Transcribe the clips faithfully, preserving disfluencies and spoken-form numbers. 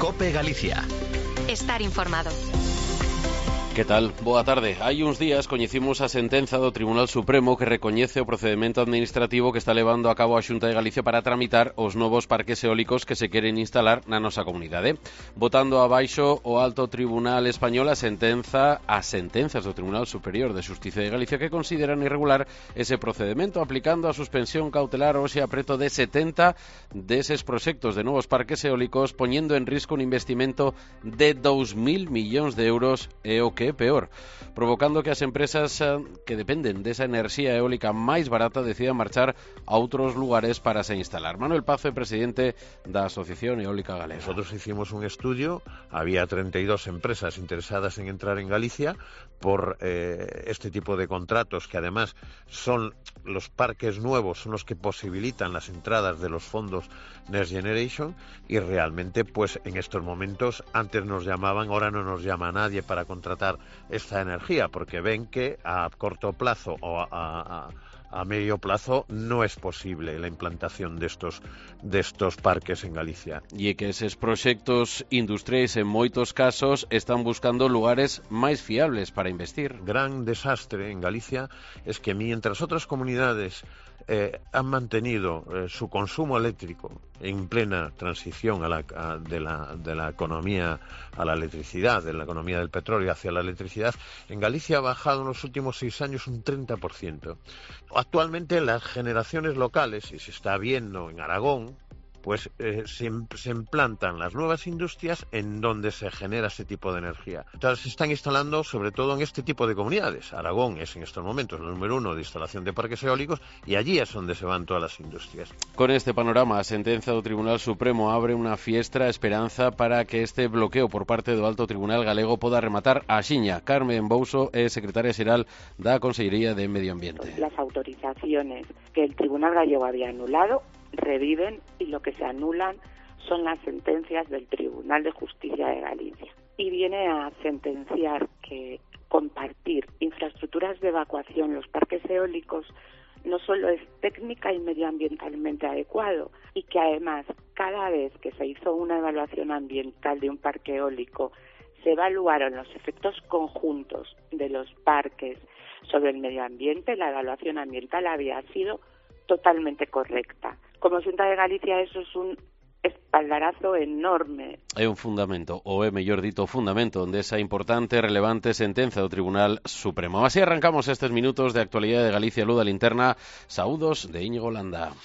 COPE Galicia. Estar informado. Que tal? Boa tarde. Hai uns días coñecimos a sentenza do Tribunal Supremo que recoñece o procedimento administrativo que está levando a cabo a Xunta de Galicia para tramitar os novos parques eólicos que se queren instalar na nosa comunidade. Botando abaixo o Alto Tribunal Español a sentenza as sentenzas do Tribunal Superior de Xustiza de Galicia que consideran irregular ese procedimento, aplicando a suspensión cautelar hoxe a preto de setenta deses proxectos de novos parques eólicos, poñendo en risco un investimento de dous mil millóns de euros e o que é peor, provocando que as empresas que dependen desa enerxía eólica máis barata decidan marchar a outros lugares para se instalar. Manuel Pazo é presidente da Asociación Eólica Galega. Nosotros hicimos un estudio, había treinta y dos empresas interesadas en entrar en Galicia por eh, este tipo de contratos que además son los parques nuevos, son los que posibilitan las entradas de los fondos Next Generation y realmente pues en estos momentos antes nos llamaban, ahora no nos llama nadie para contratar esta energía porque ven que a corto plazo o a, a, a medio plazo no es posible la implantación de estos de estos parques en Galicia. E que eses proxectos industriais en moitos casos están buscando lugares máis fiables para investir. Gran desastre en Galicia es que mientras otras comunidades eh, han mantenido eh, su consumo eléctrico en plena transición a la, a, de, la, de la economía a la electricidad, de la economía del petróleo hacia la electricidad, en Galicia ha bajado en los últimos seis años un treinta por ciento. Actualmente las generaciones locales, y se está viendo en Aragón, pues eh, se, se implantan las nuevas industrias en donde se genera ese tipo de energía. Entonces se están instalando sobre todo en este tipo de comunidades. Aragón es en estos momentos el número uno de instalación de parques eólicos y allí es donde se van todas las industrias. Con este panorama, a sentenza do Tribunal Supremo abre unha fiestra esperanza para que este bloqueo por parte do Alto Tribunal Galego poda rematar axiña. Carmen Bouso é secretaria xeral da Consellería de Medio Ambiente. Las autorizaciones que el Tribunal Gallego había anulado reviven y lo que se anulan son las sentencias del Tribunal de Justicia de Galicia. Y viene a sentenciar que compartir infraestructuras de evacuación, los parques eólicos, no solo es técnica y medioambientalmente adecuado, y que además cada vez que se hizo una evaluación ambiental de un parque eólico se evaluaron los efectos conjuntos de los parques sobre el medio ambiente, la evaluación ambiental había sido totalmente correcta. Como Xunta de Galicia eso es un espaldarazo enorme. É un fundamento, ou é mellor dito fundamento, desa importante e relevante sentenza do Tribunal Supremo. Así arrancamos estes minutos de actualidade de Galicia Luz da Linterna. Saúdos de Íñigo Landa.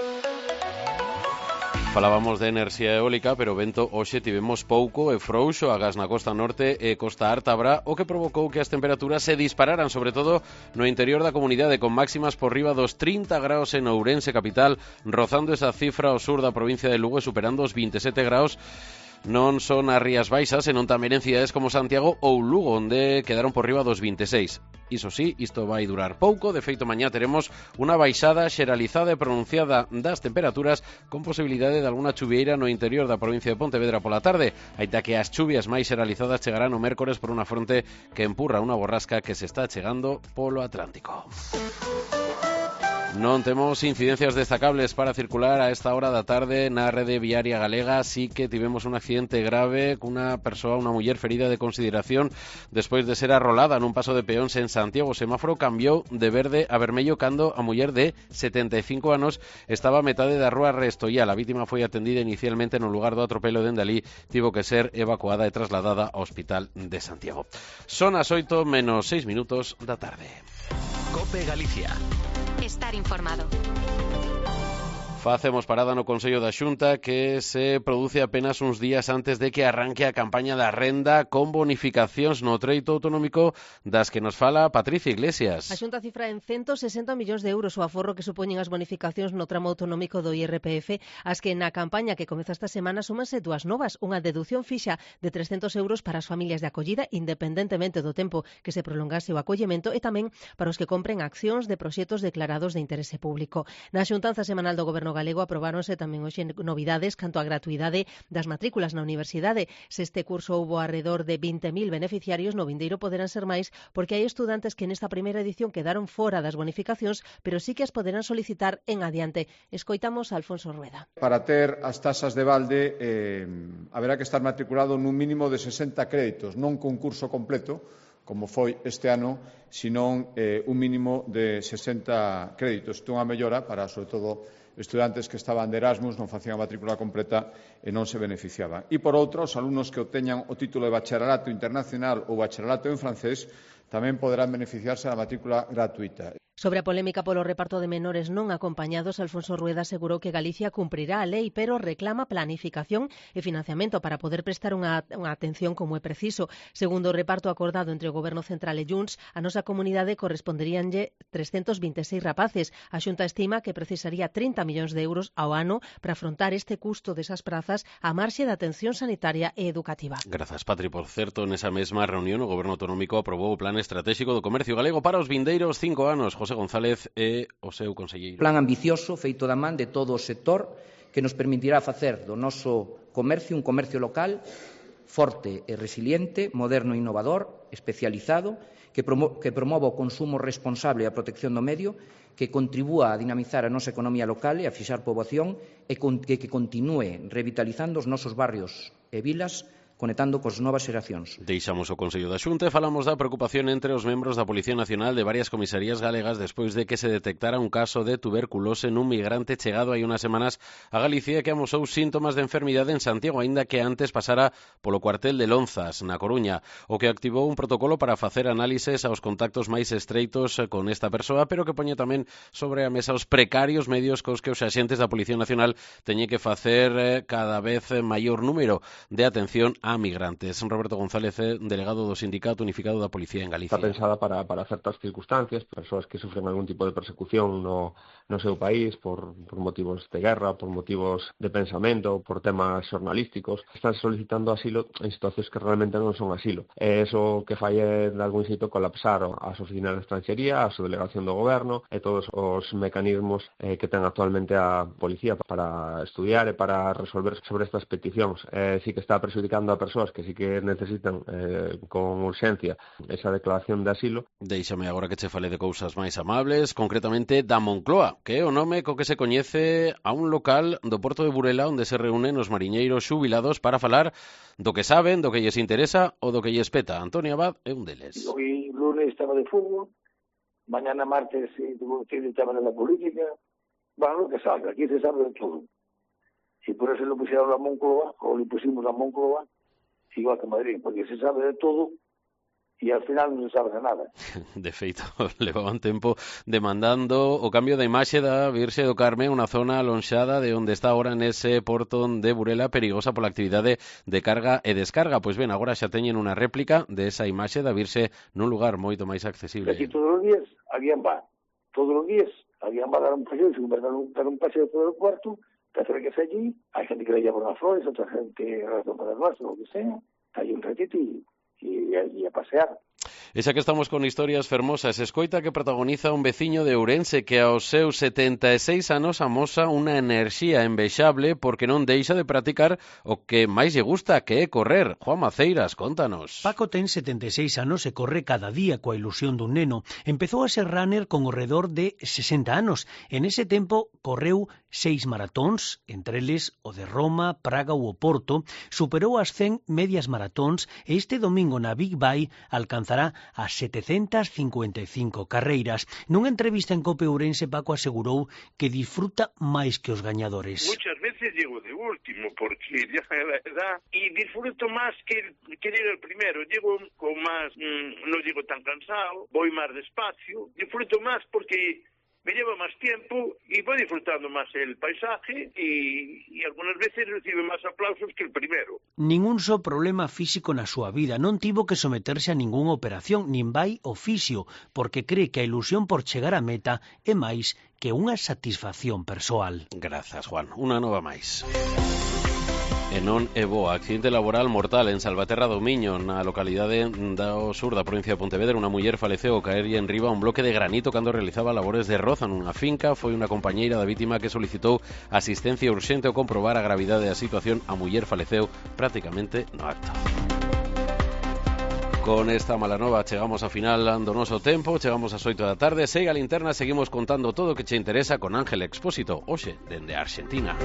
Falábamos de enerxía eólica, pero vento hoxe tivemos pouco e frouxo agás na costa norte e costa ártabra, o que provocou que as temperaturas se dispararan, sobre todo no interior da comunidade, con máximas por riba dos trinta graus en Ourense capital, rozando esa cifra ao sur da provincia de Lugo e superando os vinte e sete graus. Non son as Rías Baixas, senón tamén en cidades como Santiago ou Lugo, onde quedaron por riba dos vinte e seis. Iso sí, isto vai durar pouco. De feito, mañá teremos unha baixada xeralizada e pronunciada das temperaturas con posibilidade de alguna chuvieira no interior da provincia de Pontevedra pola tarde, aínda que as chuvias máis xeralizadas chegarán o mércores por unha fronte que empurra unha borrasca que se está chegando polo Atlántico. Non temos incidencias destacables para circular a esta hora da tarde na rede viaria galega. Sí que tivemos un accidente grave cunha persoa, unha muller ferida de consideración despois de ser arrolada nun paso de peóns en Santiago. O semáforo cambiou de verde a vermello cando a muller de setenta e cinco anos estaba a metade da rúa Restoial. A vítima foi atendida inicialmente no lugar do atropelo de Endalí, tivo que ser evacuada e trasladada ao Hospital de Santiago. Son as oito menos seis minutos da tarde. COPE Galicia. Estar informado. Facemos parada no Consello da Xunta que se produce apenas uns días antes de que arranque a campaña da renda con bonificacións no treito autonómico das que nos fala Patricia Iglesias. A Xunta cifra en ciento sesenta millóns de euros o aforro que supoñen as bonificacións no tramo autonómico do I R P F, as que na campaña que comeza esta semana súmanse dúas novas, unha deducción fixa de trescentos euros para as familias de acollida independentemente do tempo que se prolongase o acollemento e tamén para os que compren accións de proxectos declarados de interese público. Na xuntanza semanal do Goberno galego aprobáronse tamén hoxe novidades canto a gratuidade das matrículas na universidade. Se este curso houbo alrededor de vinte mil beneficiarios, no vindeiro poderán ser máis porque hai estudantes que nesta primeira edición quedaron fora das bonificacións, pero sí que as poderán solicitar en adiante. Escoitamos a Alfonso Rueda. Para ter as tasas de balde eh, haberá que estar matriculado nun mínimo de sesenta créditos, non cun curso completo, como foi este ano, senón eh, un mínimo de sesenta créditos. Isto é unha mellora para, sobre todo, estudantes que estaban de Erasmus, non facían a matrícula completa e non se beneficiaban. E, por outro, os alumnos que obteñan o título de bacharelato internacional ou bacharelato en francés tamén poderán beneficiarse da matrícula gratuita. Sobre a polémica polo reparto de menores non acompañados, Alfonso Rueda asegurou que Galicia cumprirá a lei, pero reclama planificación e financiamento para poder prestar unha, unha atención como é preciso. Segundo o reparto acordado entre o Goberno Central e Junts, a nosa comunidade corresponderíanlle trescentos vinte e seis rapaces. A Xunta estima que precisaría trinta millóns de euros ao ano para afrontar este custo desas prazas a marxe da atención sanitaria e educativa. Grazas, Patri. Por certo, nesa mesma reunión o Goberno Autonómico aprobou o Plan Estratégico do Comercio Galego para os vindeiros cinco anos. José González é o seu conselleiro. Plan ambicioso feito da man de todo o sector que nos permitirá facer do noso comercio un comercio local forte e resiliente, moderno e innovador, especializado, que, promo que promova o consumo responsable e a protección do medio, que contribúa a dinamizar a nosa economía local e a fixar poboación e con que, que continúe revitalizando os nosos barrios e vilas, conectando cos novas xeracións. Deixamos o Consello da Xunta e falamos da preocupación entre os membros da Policía Nacional de varias comisarías galegas despois de que se detectara un caso de tuberculose nun migrante chegado hai unhas semanas a Galicia que amosou síntomas de enfermidade en Santiago, aínda que antes pasara polo cuartel de Lonzas, na Coruña, o que activou un protocolo para facer análises aos contactos máis estreitos con esta persoa, pero que poñe tamén sobre a mesa os precarios medios cos que os axentes da Policía Nacional teñen que facer cada vez maior número de atención a migrantes. Roberto González, delegado do Sindicato Unificado da Policía en Galicia. Está pensada para, para certas circunstancias, persoas que sufren algún tipo de persecución no, no seu país por, por motivos de guerra, por motivos de pensamento, por temas xornalísticos, están solicitando asilo en situacións que realmente non son asilo. E iso que fai é, de algún xeito, colapsar as oficinas de extranxería, a subdelegación do goberno e todos os mecanismos eh, que ten actualmente a policía para estudiar e para resolver sobre estas peticións. Eh, sí que está prexudicando a persoas que sí que necesitan eh, con urxencia esa declaración de asilo. Déixame agora que che fale de cousas máis amables, concretamente da Moncloa, que é o nome co que se coñece a un local do Porto de Burela onde se reúnen os mariñeiros xubilados para falar do que saben, do que lles interesa ou do que lles peta. Antonio Abad é un deles. Hoy lunes estaba de fútbol, mañana martes estaba en la política, bueno, lo que salga, aquí se sabe de todo. Y por eso lo pusieron a Moncloa, o le pusimos a Moncloa, igual que Madrid, porque se sabe de todo e ao final non se sabe de nada. De feito, levaban tempo demandando o cambio da imaxe da Virxe do Carme, unha zona alonxada de onde está agora nese porto de Burela, perigosa pola actividade de carga e descarga. Pois ben, agora xa teñen unha réplica de esa imaxe da Virxe nun lugar moito máis accesible. Aquí todos os días alguén va, todos os días alguén va a dar un paseo, se vai dar un, dar un paseo por el cuarto, te acerques allí, hay gente que le lleva unas flores, otra gente razón para el vaso, lo que sea, hay un ratito y, y, y a pasear. E xa que estamos con historias fermosas, escoita que protagoniza un veciño de Ourense que aos seus setenta e seis anos amosa unha enerxía envexable porque non deixa de practicar o que máis lle gusta, que é correr. Juan Maceiras, contanos. Paco ten setenta e seis anos e corre cada día coa ilusión dun neno. Empezou a ser runner con o redor de sesenta anos. En ese tempo correu seis maratóns, entre eles o de Roma, Praga ou o Porto, superou as cen medias maratóns e este domingo na Big Bay alcanzará as setecentas cincuenta e cinco carreiras. Nunha entrevista en Cope Ourense, Paco asegurou que disfruta máis que os gañadores. Muchas veces llego de último porque ya la edad y disfruto más que, que llegue el primero. Llego con más, mmm, no llego tan cansado, voy más despacio, disfruto más porque me lleva más tiempo y voy disfrutando más el paisaje y, y algunas veces recibe más aplausos que el primero. Ningún só problema físico na súa vida, non tivo que someterse a ningunha operación, nin vai ao fisio, porque cree que a ilusión por chegar á meta é máis que unha satisfacción persoal. Grazas, Juan. Unha nova máis. E non é boa. Accidente laboral mortal en Salvaterra do Miño, na localidade do sur da provincia de Pontevedra. Unha muller faleceu ao caerlle en riba un bloque de granito cando realizaba labores de roza nunha finca. Foi unha compañeira da vítima que solicitou asistencia urxente ao comprobar a gravidade da situación. A muller faleceu prácticamente no acto. Con esta mala nova chegamos ao final do noso tempo, chegamos ás oito da tarde. Segue a linterna, seguimos contando todo o que che interesa con Ángel Expósito, hoxe dende Argentina.